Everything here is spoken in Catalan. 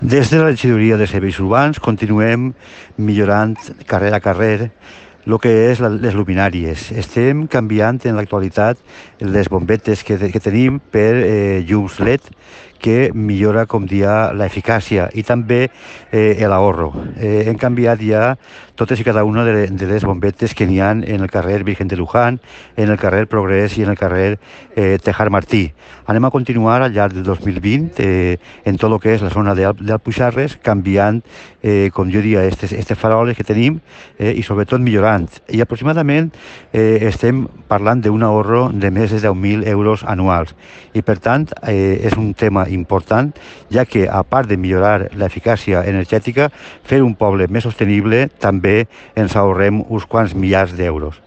Des de la regidoria de serveis urbans continuem millorant carrer a carrer el que és les luminàries. Estem canviant en l'actualitat les bombetes que tenim per llums LED, que millora, com dia, l'eficàcia i també l'ahorro. Hem canviat ja totes i cada una de les bombetes que n'hi ha en el carrer Virgen de Luján, en el carrer Progrés i en el carrer Tejar Martí. Anem a continuar al llarg del 2020 en tot el que és la zona d'Alpuixarres, canviant, com jo diria, aquestes faroles que tenim i sobretot millorant. I aproximadament estem parlant d'un ahorro de més de 10.000 euros anuals. I per tant és un tema important, ja que a part de millorar l'eficàcia energètica, fer un poble més sostenible també ens ahorrem uns quants milers d'euros.